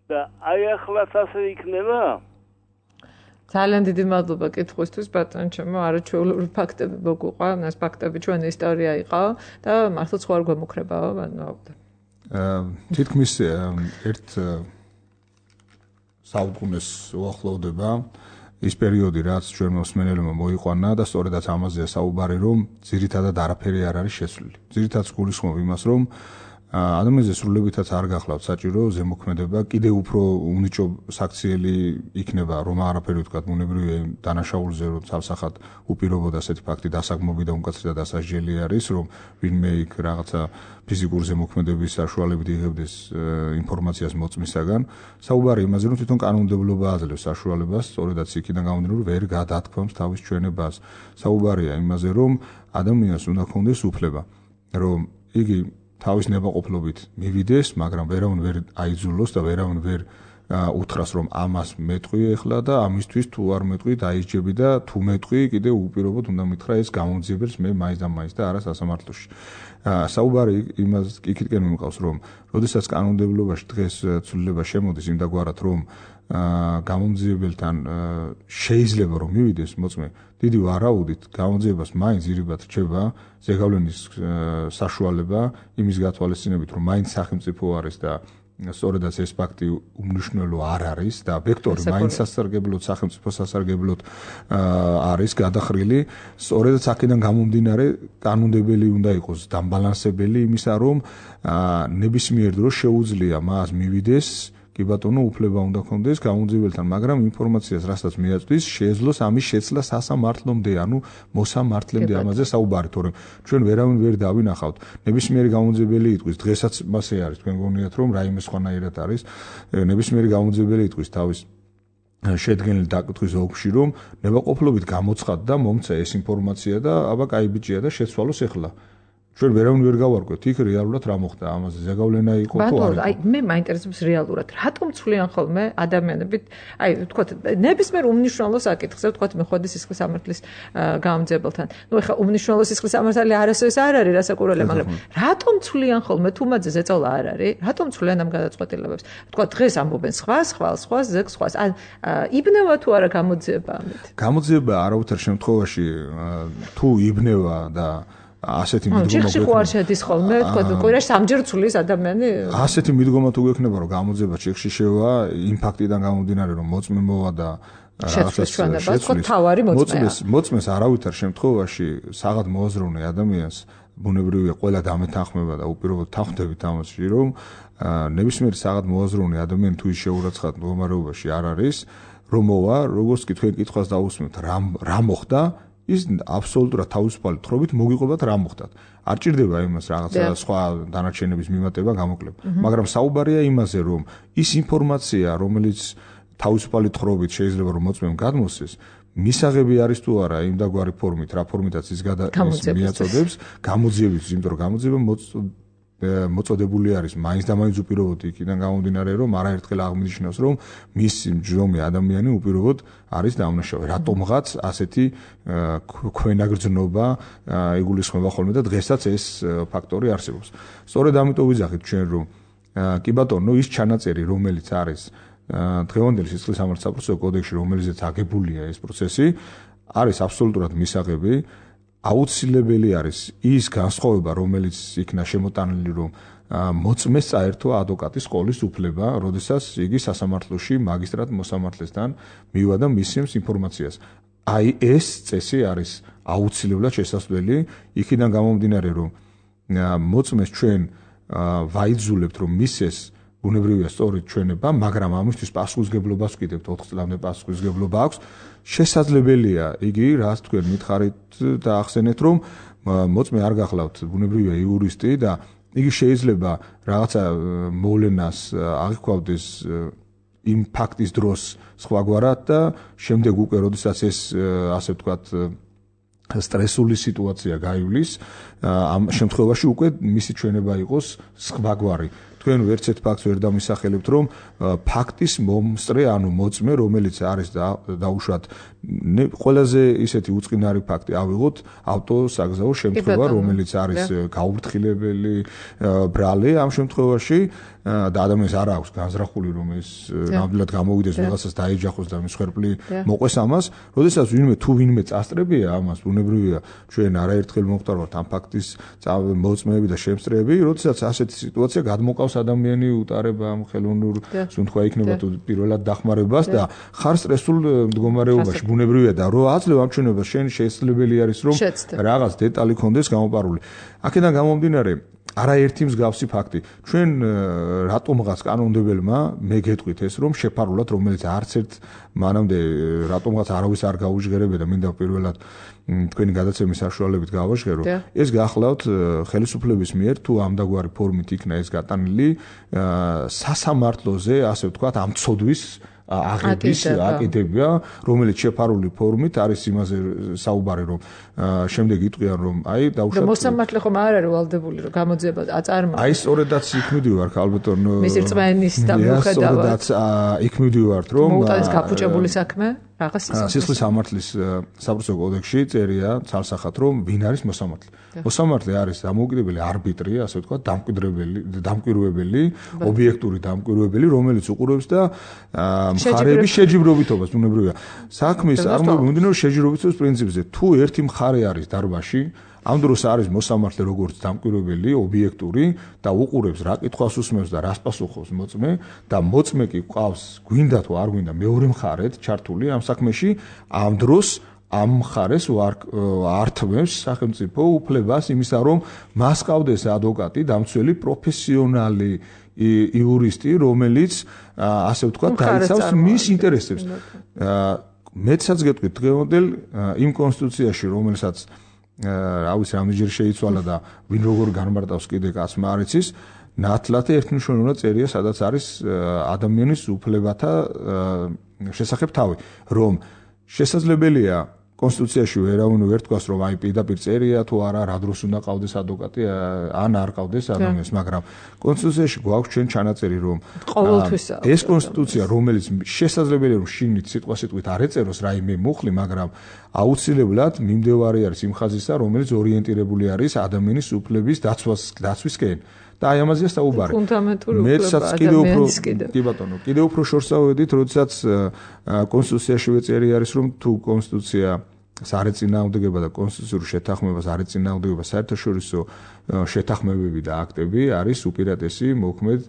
და აი ახლაც ასე იქნება ძალიან დიდი მადლობა კითხვისთვის ბატონო ჩემო არაჩვეულებრივი ფაქტები მოგუყვა ეს ფაქტები ჩვენი ისტორია იყო და მართლა სხვა არ გვემუქრებაო თითქმის ერთ საუკუნეს უახლოვდება ის პერიოდი რაც ჩვენ მოსმენელებმა მოიყვანა და სწორედაც ამაზეა საუბარი რომ ძირითადად არაფერი არ არის შეცვლილი ძირითადად გულისხმობ იმას რომ ადამიანზე სრულებითაც არ გახლავთ საჭირო ზემოქმედება კიდევ უფრო უნიჭო საქციელი იქნება რომ არაფერი ვთქვათ ბუნებრივი დანაშაულზე რომ ცალსახად უპირობოდ ასეთი ფაქტი დასაგმობი და უკაცრითა დასაჯელი არის რომ ვინმე იქ რაღაცა ფიზიკური ზემოქმედების საშუალებით იღებდეს ინფორმაციას მოწმისაგან საუბარი იმაზე რომ თვითონ კანონმდებლობა აძლევს საშუალებას სწორედაც იქიდან გამომდინარე ვერ გადათქვამს თავის ჩვენებას საუბარია იმაზე რომ ადამიანს უნდა ქონდეს უფლება რომ იგი თავის ნებაყოფლობით მივიდეს, მაგრამ ვერავინ ვერ აიძულოს და ვერავინ ვერ უთხრას რომ ამას მეტყვი ეხლა და ამისთვის თუ არ მეტყვი დაიჯები და თუ მეტყვი კიდე უპირობოდ უნდა მითხრა ეს გამომძიებელს მე მაინც და მაინც და არა სასამართლოში. საუბარი იმას იქითკენ მიმყავს რომ როდესაც კანონმდებლობაში დღეს ცვლილება შემოდის იმდაგვარად რომ გამომძიებელთან შეიძლება რომ მივიდეს მოწმე დიდი ვარაუდით გამომძიებას მაინც ირიბად რჩება ზეგავლენის საშუალება იმის გათვალისწინებით რომ მაინც სახელმწიფო არის და სწორედაც ეს ფაქტი უმნიშვნელო არ არის და ვექტორი მაინც სასარგებლოდ სახელმწიფო სასარგებლოდ არის გადახრილი სწორედაც აქედან გამომდინარე კანონმდებელი უნდა იყოს დამბალანსებელი იმისა რომ ნებისმიერ დროს შეუძლია მას მივიდეს კი ბატონო უფლება უნდა ქონდეს გამომძიებელთან მაგრამ ინფორმაციას რასაც მიაწვდის შეეძლოს ამის შეცვლა სასამართლომდე ანუ მოსამართლემდე ამაზე საუბარი თორემ ჩვენ ვერავინ ვერ დავინახავთ ნებისმიერი გამომძიებელი იტყვის დღესაც მასე არის თქვენ გონიათ რომ რაიმე სხვანაირად არის ნებისმიერი გამომძიებელი იტყვის თავის შედგენილ დაკითხვის ოლქში რომ ნებაყოფლობით გამოცხადდა მომცა ეს ინფორმაცია და აბა კაი ბიჭია და შეცვალოს ეხლა ჩვენ ვერავინ ვერ გავარკვევთ იქ რეალურად რა მოხდა ამაზე ზეგავლენა იყო თუ არა აი მე მაინტერესებს რეალურად რატომ ცვლიან ხოლმე ადამიანები აი ვთქვათ ნებისმიერ უმნიშვნელო საკითხზე ვთქვათ მეხვედი სისხლის სამართლის გამომძიებელთან ნუ ეხლა უმნიშვნელო სისხლის სამართალი არასოდეს არ არის რასაკურველია მაგრამ რატომ ცვლიან ხოლმე თუ მათზე ზეწოლა არ არის რატომ ცვლიან ამ გადაწყვეტილებებს ვთქვათ დღეს ამბობენ სხვა ზეგ სხვა ან იბნევა თუ არა გამოძიება ამით გამოძიება არავითარ შემთხვევაში თუ იბნევა და ასეთი მიდგომა ჩიხში ხო არ შედის ხოლმე თქო კვირაში სამჯერ ცulis ადამიანი ასეთი მიდგომა თუ გექნება რომ გამოძიება ჩიხში შევა იმ ფაქტიდან გამომდინარე რომ მოწმე მოვა და მოწმეს არავითარ შემთხვევაში საღად მოაზროვნე ადამიანს ბუნებრივია ყველა დამეთანხმება და უპირობოდ თანხმდებით ამაში რომ ნებისმიერ საღად მოაზროვნე ადამიანი თუ ის შეურაცხყოფ მდგომარეობაში არ არის რომ მოვა როგორც კი თქვენ კითხვას დაусმენთ რა მოხდა ის აბსოლუტურად თავისუფალი თხრობით მოგიყვებათ რა მოხდათ. არ ჭირდება იმას რაღაცა სხვა დანარჩენების მიმატება, გამოკლება. მაგრამ საუბარია იმაზე, რომ ის ინფორმაცია, რომელიც თავისუფალი თხრობით შეიძლება რომ მოწმემ გადმოსცეს, მისაღები არის თუ არა იმ დაგვარი ფორმით, რა ფორმითაც ის მიაწოდებს, გამოძიების, იმიტომ რომ გამოძიება მოწოდებული არის მაინც და მაინც უპირობოდ იქიდან გამომდინარე რომ არაერთხელ აღნიშნავს რომ მის მჯდომი ადამიანი უპირობოდ არის დამნაშავე რატომღაც ასეთი ქვენაგრძნობა იგულისხმება ხოლმე და დღესაც ეს ფაქტორი არსებობს სწორედ ამიტომ ვიძახით ჩვენ რომ კი ბატონო ის ჩანაწერი რომელიც არის დღევანდელი სისხლის სამართლის საპროცესო კოდექსში რომელზეც აგებულია ეს პროცესი არის აბსოლუტურად მისაღები აუცილებელი არის ის განსხვავება რომელიც იქნა შემოტანილი რომ მოწმეს წაერთვა ადვოკატის ყოლის უფლება, როდესაც იგი სასამართლოში მაგისტრატ მოსამართლესთან მივა და მისცემს ინფორმაციას. აი ეს წესი არის აუცილებლად შესაძლებელი, იქიდან გამომდინარე, რომ მოწმეს ჩვენ ვაიძულებთ, რომ მისცეს ბუნებრივია სწორედ ჩვენება, მაგრამ ამისთვის პასუხისგებლობას ვკიდებთ, 4 წლამდე პასუხისგებლობა აქვს. შესაძლებელია იგი, რაც თქვენ მითხარით და ახსენეთ, რომ მოწმე არ გახლავთ ბუნებრივია იურისტი და იგი შეიძლება რაღაცა მოვლენას აღიქვამდეს იმ ფაქტის დროს სხვაგვარად და შემდეგ უკვე როდესაც ეს ასე ვთქვათ სტრესული სიტუაცია გაივლის, ამ შემთხვევაში უკვე მისი ჩვენება იყოს სხვაგვარი. თქვენ ვერცეთ ფაქტს ვერ დამისახელებთ, რომ ფაქტის მომსწრე, ანუ მოწმე, რომელიც არის დაუშვათ ყველაზე ისეთი უწყინარი ფაქტი ავიღოთ ავტოსაგზაო შემთხვევა, რომელიც არის გაუფრთხილებელი ბრალი ამ შემთხვევაში და ადამიანს არ აქვს განზრახული, რომ ეს ნამდვილად გამოვიდეს რაღაცას დაეჯახოს და მსხვერპლი მოყვეს ამას, როდესაც ვინმე წასწრებია ამას, ბუნებრივია ჩვენ არაერთხელ მოხდარვართ ამ ფაქტის მოწმეები და შემსწრეები, როდესაც ასეთი სიტუაცია გადმოყავს ადამიანი უტარება ამ ხელოვნურ სუნთქვა იქნება თუ პირველად დახმარებას და ხარ სტრესულ მდგომარეობაში ბუნებრივია და რო აძლევ ამ ჩვენებას შენ შესაძლებელი არის რომ რაღაც დეტალი ქონდეს გამოპარული. აქედან გამომდინარე არაერთი მსგავსი ფაქტი. ჩვენ რატომღაც კანონმდებელმა მე გეტყვით ეს რომ შეფარულად რომელიც არც ერთ მანამდე რატომღაც არავის არ გაუჟღერებია და მინდა პირველად თქვენი გადაცემის საშუალებით გავაჟღერო. ეს გახლავთ ხელისუფლების მიერ თუ ამდაგვარი ფორმით იქნა ეს გატანილი სასამართლოზე, ასე ვთქვათ, ამ ცოდვის აღების აკიდება, რომელიც შეფარული ფორმით არის იმაზე საუბარი, რომ შემდეგ იტყვიან, რომ აი დაუშვათ მოსამართლე ხომ არ არის ვალდებული, რომ გამოძიება აწარმოოს. აი სწორედაც იქ მივდივართ, ალბათონ მისი რწმენის და მიუხედავად იქ მივდივართ, რომ მოუტანეს გაფუჭებული საქმე რაღაც სისხლის სამართლის საბრუცო კოდექსში წერია ცალსახად, რომ ვინ არის მოსამართლე. მოსამართლე არის დამოუკიდებელი არბიტრი, ასე ვთქვათ, დამკვირვებელი, ობიექტური დამკვირვებელი, რომელიც უყურებს და მხარეების შეჯიბრობითობას, ბუნებრივია. საქმის წარმოება მიმდინარეობს შეჯიბრობითობის პრინციპზე. თუ ერთი მხარე არის დარბაზში, ამ დროს არის მოსამართლე როგორც დამკვირვებელი, ობიექტური და უყურებს რა კითხვას უსმენს და რას პასუხობს მოწმე და მოწმე კი ყავს, გვინდა თუ არ გვინდა მეორე მხარეთ ჩართული ამ საქმეში, ამ დროს ამ მხარეს ართმევს სახელმწიფო უფლებას იმისა, რომ მას ყავდეს ადვოკატი, დამცველი პროფესიონალი იურისტი, რომელიც ასე ვთქვათ, დაიცავს მის ინტერესებს. მეცაც გეტყვით დღევანდელ იმ კონსტიტუციაში, რომელსაც რა ვიცი, რამდენჯერ შეიცვალა და ვინ როგორ განმარტავს კიდე კაცმა არ იცის, ნათლად ერთმნიშვნელოვნად წერია, სადაც არის ადამიანის უფლებათა შესახებ თავი, რომ შესაძლებელია კონსტიტუციაში ვერ თქვას, რომ აი პირდაპირ წერია თუ არა, რა დროს უნდა ყავდეს ადვოკატი, ან არ ყავდეს ადამიანს, მაგრამ კონსტიტუციაში გვაქვს ჩვენ ჩანაწერი, რომ ეს კონსტიტუცია, რომელიც შესაძლებელია, რომ შინით სიტყვასიტყვით არ ეწეროს რაიმე მუხლი, მაგრამ აუცილებლად მიმდევარი არის იმ ხაზისა, რომელიც ორიენტირებული არის ადამიანის უფლების დაცვისკენ. და აი ამაზეა საუბარი. მეცაც კიდევ უფრო შორს ავედით, როდესაც კონსტიტუციაშივე წერი არის, რომ თუ კონსტიტუცია სარეწინააღმდეგება და კონსტიტუციურ შეთანხმებას არ ეწინააღმდეგება საერთაშორისო შეთანხმებები და აქტები არის უპირატესი მოქმედ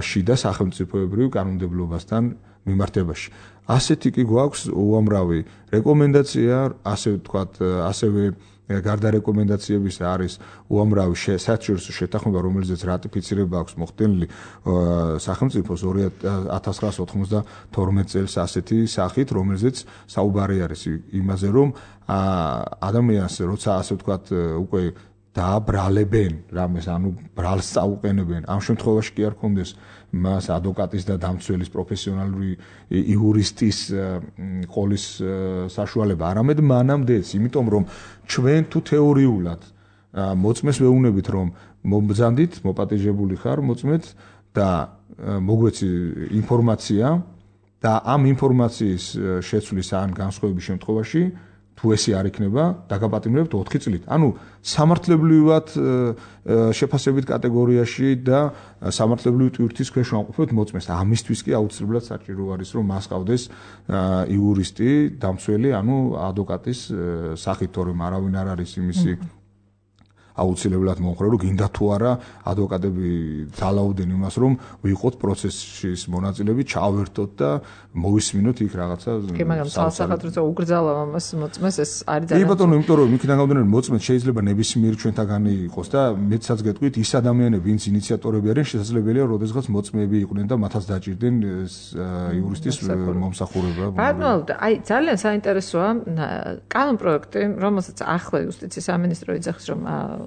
შიდა სახელმწიფოებრივ კანონმდებლობასთან მიმართებაში. ასეთი კი გვაქვს უამრავი რეკომენდაცია, ასე ვთქვათ, ასევე გარდა რეკომენდაციებისა არის უამრავი საერთაშორისო შეთანხმება, რომელზეც რატიფიცირება აქვს მოხდენილი სახელმწიფოს 1992 წელს ასეთი სახით, რომელზეც საუბარი არის იმაზე, რომ ადამიანს როცა ასე ვთქვათ უკვე დააბრალებენ რამეს, ანუ ბრალს წაუყენებენ, ამ შემთხვევაში კი არ ქონდეს მას ადვოკატის და დამცველის პროფესიონალური იურისტის ყოლის საშუალება, არამედ მანამდეც, იმიტომ რომ ჩვენ თუ თეორიულად მოწმეს ვეუბნებით, რომ მომბრძანდით, მოპატეჟებული ხარ მოწმეთ და მოგვეცი ინფორმაცია და ამ ინფორმაციის შეცვლის ან განსხვავების შემთხვევაში თუ ესი არ იქნება, დაგაპატიმრებთ 4 წლით. ანუ სამართლებრივად შეფასებით კატეგორიაში და სამართლებრივი ტვირთის ქვეშ ვამყოფებთ მოწმეს. ამისთვის კი აუცილებლად საჭირო არის, რომ მას ყავდეს იურისტი, დამცველი, ანუ ადვოკატის სახით, თორემ არავინ არ არის იმისი აუცილებლად მომხრე რომ გინდა თუ არა ადვოკატები ძალაუდნენ იმას რომ ვიყოთ პროცესის მონაწილეები ჩავერთოთ და მოვისმინოთ იქ რაღაცა კი მაგრამ სამსახატრო უგრძალა ამას მოწმეს ეს არის ძალიან კი ბატონო იმიტომ რომ იქიდან გამომდინარე მოწმეს შეიძლება ნებისმიერ ჩვენთაგანი იყოს და მეცაც გეტყვით ის ადამიანები ვინც ინიციატორები არიან შესაძლებელია როდესღაც მოწმეები იყვნენ და მათაც დაჭირდნენ იურისტის მომსახურება ბატონო აი ძალიან საინტერესოა კანონ პროექტი რომელსაც ახლა იუსტიციის სამინისტრო იძახის რომ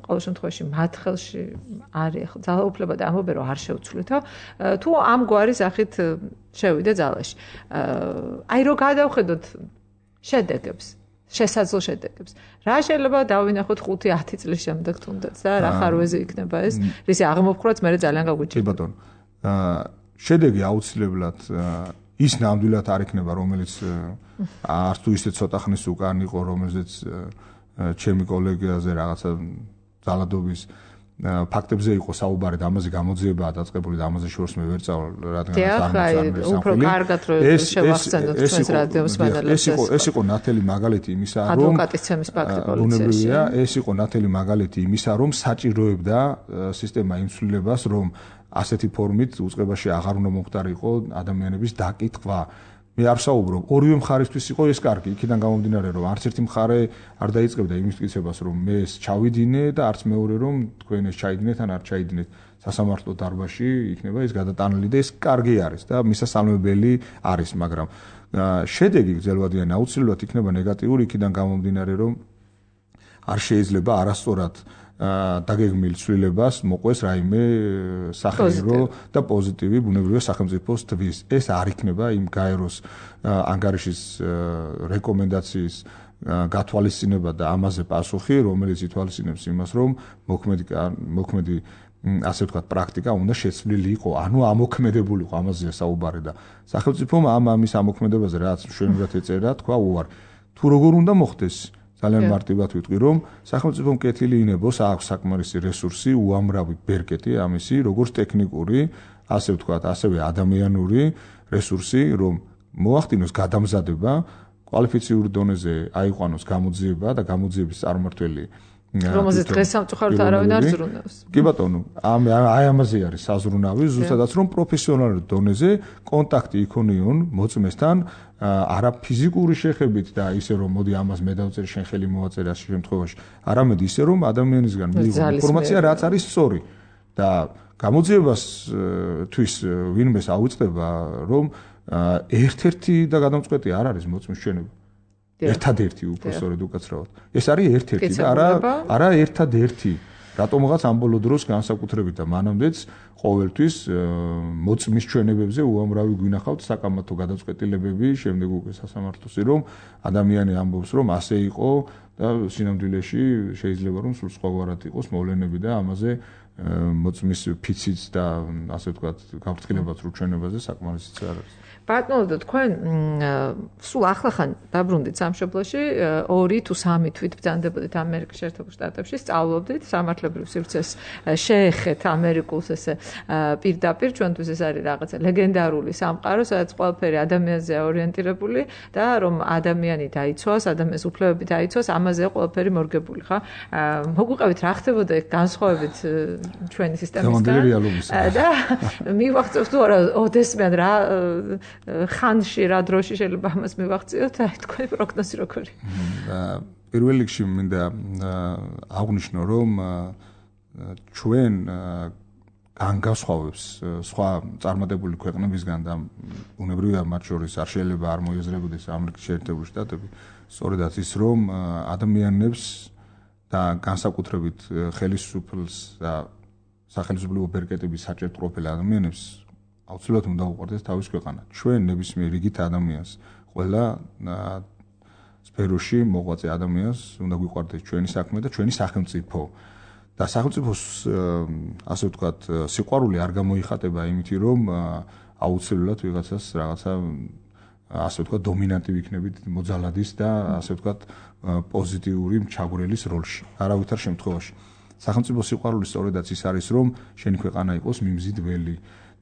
ყოველ შემთხვევაში მათ ხელში არის ახლა ძალაუფლება და ამბობენ რომ არ შეუცვლითო თუ ამგვარი სახით შევიდა ძალაში აი რო გადავხედოთ შედეგებს შესაძლო შედეგებს რა შეიძლება დავინახოთ 5-10 წლის შემდეგ თუნდაც და რა ხარვეზე იქნება ეს რისი აღმოფხვრაც მე ძალიან გაგვიჭირდება კი ბატონო შედეგი აუცილებლად ის ნამდვილად არ იქნება რომელიც არც თუ ისე ცოტა ხნის უკან იყო რომელზეც ჩემი კოლეგიაზე რაღაცა ძალადობის ფაქტებზე იყო საუბარი და ამაზე გამოძიებაა დაწყებული და ამაზე შორს მე ვერ წავალ რადგანაც უფრო კარგად რომ შევახსენოთ ჩვენს რადიოს მანალებს ეს იყო ნათელი მაგალითი იმისა რომ ადვოკატის ცემის ფაქტი პოლიციაში ეს იყო ნათელი მაგალითი იმისა რომ საჭიროებდა სისტემა იმსვლელებას რომ ასეთი ფორმით უწყებაში აღარ უნდა მომხდარიყო ადამიანების დაკითხვა მე არ საუბრობ ორივე მხარისთვის იყო ეს კარგი იქიდან გამომდინარე რომ არც ერთი მხარე არ დაიწყებდა იმის მტკიცებას რომ მე ეს ჩავიდინე და არც მეორე რომ თქვენ ეს ჩაიდინეთ ან არ ჩაიდინეთ სასამართლო დარბაზში იქნება ეს გადატანილი და ეს კარგი არის და მისასალმებელი არის მაგრამ შედეგი გრძელვადიანი აუცილებლად იქნება ნეგატიური იქიდან გამომდინარე რომ არ შეიძლება არასწორად დაგეგმილ ცვლილებას მოყვეს რაიმე სახეირო და პოზიტივი ბუნებრივია სახელმწიფოს თვის ეს არ იქნება იმ გაეროს ანგარიშის რეკომენდაციის გათვალისწინება და ამაზე პასუხი რომელიც ითვალისწინებს იმას რომ მოქმედი ასე ვთქვათ პრაქტიკა უნდა შეცვლილი იყო ანუ ამოქმედებული იყო ამაზეა საუბარი და სახელმწიფომ ამის ამოქმედებაზე რაც მშვენივრად ეწერა თქვა უარ თუ როგორ უნდა მოხდეს ძალიან მარტივად ვიტყვი რომ სახელმწიფომ კეთილი ინებოს აქვს საკმარისი რესურსი უამრავი ბერკეტი ამისი როგორც ტექნიკური ასე ვთქვათ ასევე ადამიანური რესურსი რომ მოახდინოს გადამზადება კვალიფიციური დონეზე აიყვანოს გამოძიება და გამოძიების წარმმართველი რომელზეც დღეს სამწუხაროდ არავინ არ ზრუნავს. კი ბატონო, აი ამაზე არის საზრუნავი, ზუსტადაც რომ პროფესიონალურ დონეზე კონტაქტი იქონიონ მოწმესთან, არა ფიზიკური შეხებით და ისე რომ მოდი ამას მე დავწერ შენ ხელი მოვაწერ ასე შემთხვევაში, არამედ ისე რომ ადამიანისგან მიიღო ინფორმაცია რაც არის სწორი და გამოძიებასთვის ვინმეს აუწყდება რომ ერთ-ერთი და გადამწყვეტი არ არის მოწმის ჩვენება. ერთადერთი უბრალოდ უკაცრავად. ეს არის ერთ-ერთი და არა ერთადერთი. რატომღაც ამ ბოლო დროს განსაკუთრებით და მანამდეც ყოველთვის მოწმის ჩვენებებზე უამრავი გვინახავთ საკამათო გადაწყვეტილებები, შემდეგ უკვე სასამართლოსი რომ ადამიანი ამბობს რომ ასე იყო და სინამდვილეში შეიძლება რომ სულ სხვაგვარად იყოს მოვლენები და ამაზე მოწმის ფიციც და ასე ვთქვათ გავრცელებაც რო ჩვენებაზე საკმარისიც არ არის. ბატონო, თქვენ სულ ახლახან დაბრუნდით სამშობლოში, 2 თუ 3 თვით ბრძანდებოდით ამერიკის შეერთებულ შტატებში, სწავლობდით სამართლებრივ სივრცეს შეეხეთ ამერიკულს ესე პირდაპირ, ჩვენთვის ეს არის რაღაცა ლეგენდარული სამყარო, სადაც ყველაფერი ადამიანზეა ორიენტირებული და რომ ადამიანი დაიცვას, ადამიანის უფლებები დაიცვას, ამაზეა ყველაფერი მორგებული, ხა? მოგვიყევით რა ხდებოდა ეგ განსხვავებით ჩვენი სისტემისგან და მივახცევთ თუ არა ოდესმე რა ხანში რა დროში შეიძლება ამას მივახციოთ აი თქვენი პროგნოზი როგორი პირველ რიგში მინდა აღვნიშნო რომ ჩვენ განგასხვავებს სხვა წარმატებული ქვეყნებისგან და უნებრივია მათ შორის არ შეიძლება არ მოიაზრებოდეს ამერიკის შეერთებული შტატები სწორედაც ის რომ ადამიანებს და განსაკუთრებით ხელისუფლებას და სახელმწიფო ბერკეტების საჭირო პროფილ ადამიანებს აუცილებლად უნდა უყურდეს თავის ქვეყანა. ჩვენ ნებისმიერ რიგით ადამიანს, ყველა სფეროში მოღვაწე ადამიანს უნდა გვიყვარდეს ჩვენი საქმე და ჩვენი სახელმწიფო. და სახელმწიფოს ასე ვთქვათ, სიყვარული არ გამოიხატება იმითი, რომ აუცილებლად ვიღაცას რაღაცა ასე ვთქვათ, დომინანტი ვიქნებით მოძალადის და ასე ვთქვათ, პოზიტიური ჩაგვრელის როლში. არავითარ შემთხვევაში. სახელმწიფო სიყვარული სწორედაც ის არის, რომ შენი ქვეყანა იყოს მიმზიდველი.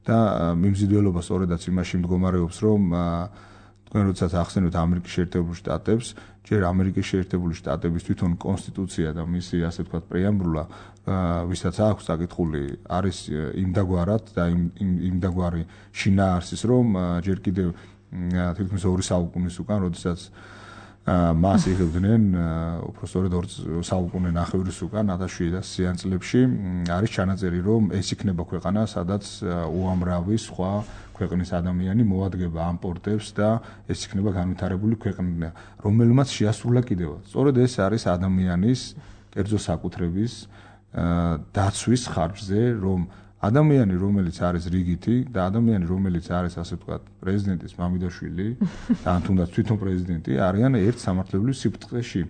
და მიმზიდველობა სწორედაც იმაში მდგომარეობს, რომ თქვენ როდესაც ახსენებთ ამერიკის შეერთებულ შტატებს, ჯერ ამერიკის შეერთებული შტატების თვითონ კონსტიტუცია და მისი ასე ვთქვათ პრეამბულა, ვისაც აქვს საკითხული, არის იმდაგვარად და იმდაგვარი შინაარსის, რომ ჯერ კიდევ თითქმის 2 საუკუნის უკან, როდესაც მას იღებდნენ უფრო სწორედ 2 საუკუნე ნახევრის უკან 1700-იან წლებში არის ჩანაწერი, რომ ეს იქნება ქვეყანა, სადაც უამრავი სხვა ქვეყნის ადამიანი მოადგება ამ პორტებს და ეს იქნება განვითარებული ქვეყანა, რომელმაც შეასრულა კიდევაც. სწორედ ეს არის ადამიანის კერძო საკუთრების დაცვის ხარჯზე, რომ ადამიანი, რომელიც არის რიგითი და ადამიანი, რომელიც არის ასე ვთქვათ, პრეზიდენტის მამიდაშვილი და ან თუნდაც თვითონ პრეზიდენტი, არიან ერთ სამართლებრივ სიბრტყეში.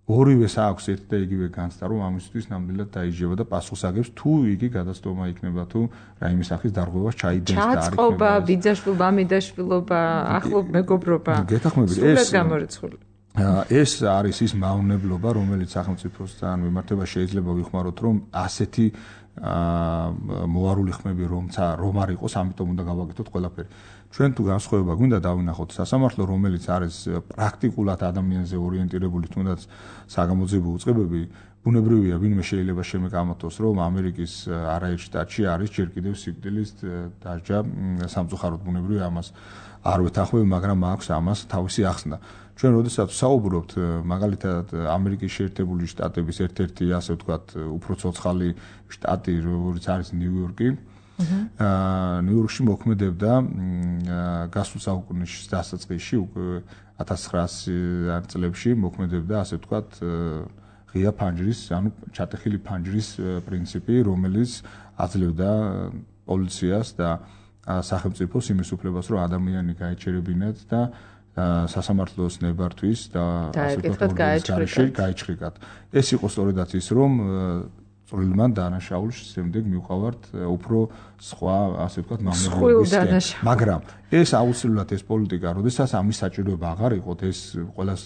ორივეს აქვს ერთ და იგივე განცდა, რომ ამისთვის ნამდვილად დაიჯება და პასუხს აგებს, თუ იგი გადაცდომა იქნება, თუ რაიმე სახის დარღვევას ჩაიდენს და არ იქნება. ჩაწყობა, ბიძაშვილობა, მამიდაშვილობა, ახლობ მეგობრობა. გეთახმებით, ეს არის ის მავნებლობა, რომელიც სახელმწიფოსთან მიმართება შეიძლება ვიხმაროთ, რომ ასეთი მოარული ხმები რომ არ იყოს, ამიტომ უნდა გავაკეთოთ ყველაფერი. ჩვენ თუ განსხვავება გვინდა დავინახოთ სასამართლო, რომელიც არის პრაქტიკულად ადამიანზე ორიენტირებული, თუნდაც საგამოძიებო უწყებები, ბუნებრივია, ვინმე შეიძლება შემეკამათოს, რომ ამერიკის არაერთ შტატში არის ჯერ კიდევ სიკვდილის დასჯა სამწუხაროდ, ბუნებრივია, ამას არ ვეთანხმები, მაგრამ აქვს ამას თავისი ახსნა. ჩვენ როდესაც საუბრობთ მაგალითად ამერიკის შეერთებული შტატების ერთ-ერთი ასე ვთქვათ უფრო ცოცხალი შტატი, როგორც არის ნიუ-იორკი, ნიუ-იორკში მოქმედებდა გასულ საუკუნის დასაწყისში, 1900-იან წლებში მოქმედებდა ასე ვთქვათ ღია ფანჯრის, ანუ ჩატეხილი ფანჯრის პრინციპი, რომელიც აძლევდა პოლიციას და სახელმწიფოს იმის უფლებას, რომ ადამიანი გაეჩერებინათ და სასამართლოს ნებართვის და ასე ვთქვათ გაეჩხრიკათ. ეს იყო სწორედაც ის, რომ წვრილმან დანაშაულს შემდეგ მივყავართ უფრო სხვა ასე ვთქვათ მამებისკენ. მაგრამ ეს აუცილებლად ეს პოლიტიკა, როდესაც ამის საჭიროება აღარ იყოთ, ეს ყველას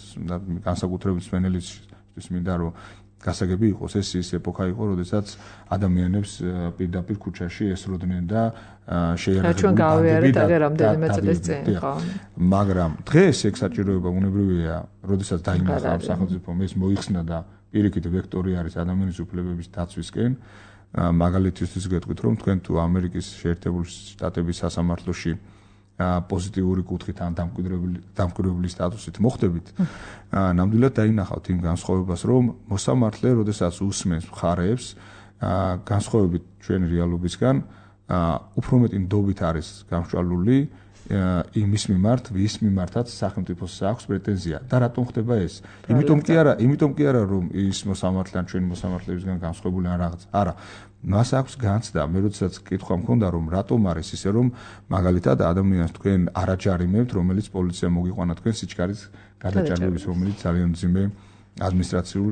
განსაკუთრებით სვენელისთვის მინდა რომ გასაგები იყოს, ეს ის ეპოქა იყო, როდესაც ადამიანებს პირდაპირ ქუჩაში ესროდნენ და შეიარაღებული ჩვენ გავიარეთ აგერ რამდენიმე წლის წინ, ხო? მაგრამ დღეს ეგ საჭიროება უნებრივია, როდესაც დაინახა ამ სახელმწიფომ ეს მოიხსნა და პირიქით ვექტორი არის ადამიანის უფლებების დაცვისკენ. მაგალითისთვის გეტყვით, რომ თქვენ თუ ამერიკის შეერთებული შტატების სასამართლოში პოზიტიური კუთხით ან დამკვირვებელი სტატუსით მოხდებით, ნამდვილად დაინახავთ იმ განსხვავებას, რომ მოსამართლე, როდესაც უსმენს მხარეებს, განსხვავებით ჩვენი რეალობისგან, უფრო მეტი ნდობით არის გამსჭვალული იმის მიმართ, ვის მიმართაც სახელმწიფოს აქვს პრეტენზია. და რატომ ხდება ეს? იმიტომ კი არა, რომ ის მოსამართლე ან ჩვენი მოსამართლებისგან განსხვავებული ან რაღაც. არა. მას აქვს განცდა. მე როდესაც კითხვა მქონდა, რომ რატომ არის ისე, რომ მაგალითად ადამიანს თქვენ არ აჯარიმებთ, რომელიც პოლიცია მოგიყვანა თქვენ სიჩქარის გადაჭარბების, რომელიც ძალიან მძიმე ადმინისტრაციულ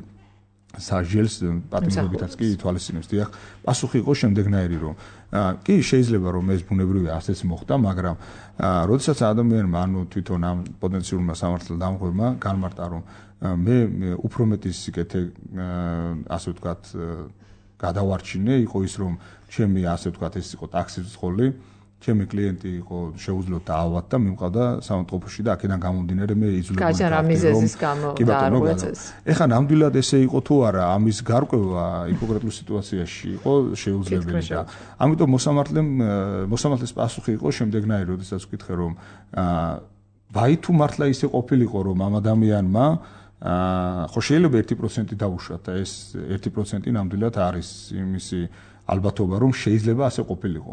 საჟელს პატიმრობითაც კი ითვალისწინებს. დიახ, პასუხი იყო შემდეგნაირი, რომ კი შეიძლება რომ ეს ბუნებრივია ასეც მოხდა, მაგრამ როდესაც ადამიანმა ანუ თვითონ ამ პოტენციურმა სამართალ დამღებმა განმარტა, რომ მე უფრო მეტი სიკეთე ასე ვთქვათ გადავარჩინე, იყო ის, რომ ჩემი ასე ვთქვათ ეს იყო ტაქსის ცხოლი, ჩემი კლიენტი იყო შეუძლო დაავად და მიმყავდა სამავთყოფოში და აქედან გამომდინარე მე იზოლებდი. გაჟარა მიზეზის გამო დაარღვევეს. ეხლა ნამდვილად ესე იყო თუ არა, ამის გარკვევა ჰიპოკრატულ სიტუაციაში იყო შეუძლებელი და ამიტომ მოსამართლეს პასუხი იყო შემდეგნაირი, როდესაც ვკითხე, რომ ვაი თუ მართლა ისე ყოფილიყო, რომ ამ ადამიანმა ხო შეიძლება 1% დაუშვათ და ეს 1% ნამდვილად არის იმისი ალბათობა, რომ შეიძლება ასე ყოფილიყო.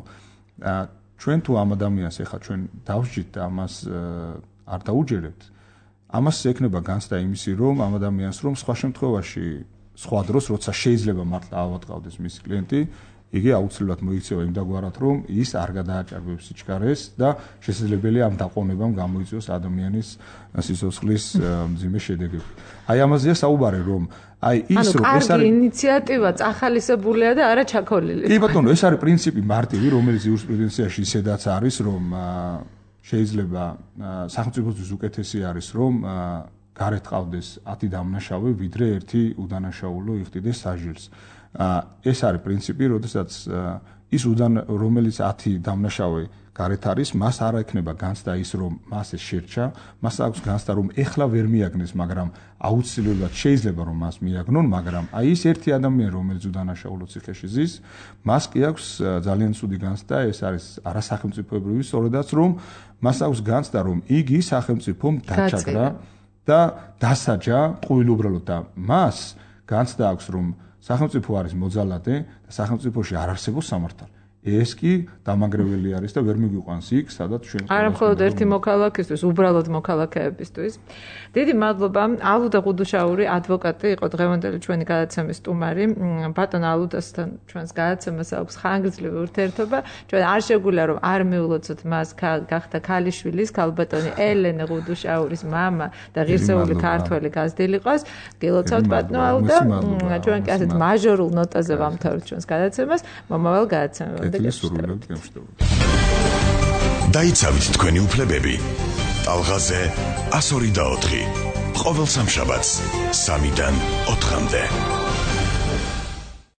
ჩვენ თუ ამ ადამიანს ეხა ჩვენ დავსჯით და ამას არ დაუჯერებთ, ამას ექნება განცდა იმისი, რომ ამ ადამიანს რომ სხვა შემთხვევაში, სხვა დროს, როცა შეიძლება მართლა ავატყავდეს მისი კლიენტი, იგი აუცილებლად მოიქცევა იმდაგვარად, რომ ის არ გადააჭარბებს სიჩქარეს და შესაძლებელია ამ დაყოვნებამ გამოიწვიოს ადამიანის სიცოცხლის მძიმე შედეგები. აი ამაზეა საუბარი, რომ აი ის რომ ეს არის ინიციატივა წახალისებულია და არა ჩაქოლილი. კი ბატონო, ეს არის პრინციპი მარტივი, რომელიც იურისპრუდენციაში ისედაც არის, რომ შეიძლება სახელმწიფოსთვის უკეთესი არის, რომ გარეთ ყავდეს 10 დამნაშავე, ვიდრე ერთი უდანაშაულო იხდიდეს საჟილს. ეს არის პრინციპი, როდესაც ის რომელიც 10 დამნაშავე გარეთ არის, მას არ ექნება განცდა ის, რომ მას ეს შერჩა, მას აქვს განცდა, რომ ეხლა ვერ მიაგნეს, მაგრამ აუცილებლად შეიძლება რომ მას მიაგნონ, მაგრამ აი ის ერთი ადამიანი, რომელიც უდანაშაულო ციხეში ზის, მას კი აქვს ძალიან ცუდი განცდა, ეს არის არასახელმწიფოებრივი, სწორედაც რომ მას აქვს განცდა, რომ იგი სახელმწიფომ დაჭაგრა და დასაჯა ყოველუბრალოდ და მას განცდა აქვს, რომ სახელმწიფო არის მოძალადე და სახელმწიფოში არ არსებობს სამართალი. ეს კი დამანგრეველი არის და ვერ მიგვიყვანს იქ, სადაც ჩვენ არა მხოლოდ ერთი მოქალაქისთვის, უბრალოდ მოქალაქეებისთვის. დიდი მადლობა. ალუდა ღუდუშაური ადვოკატი იყო დღევანდელი ჩვენი გადაცემის სტუმარი. ბატონ ალუდასთან ჩვენს გადაცემას აქვს ხანგრძლივი ურთიერთობა. ჩვენ არ შეგვიძლია რომ არ მიულოცოთ მას გახდა ქალიშვილის, ქალბატონი ელენე ღუდუშაურის მამა და ღირსეული ქართველი გაზრდილიყოს. გილოცავთ ბატონო ალუდა. ჩვენ კი ასეთ მაჟორულ ნოტაზე ვამთავრებთ ჩვენს გადაცემას. მომავალ გადაცემამდე დაიცავით თქვენი უფლებები. ტალღაზე 102 და 4. ყოველ სამშაბათს 3-დან 4-მდე.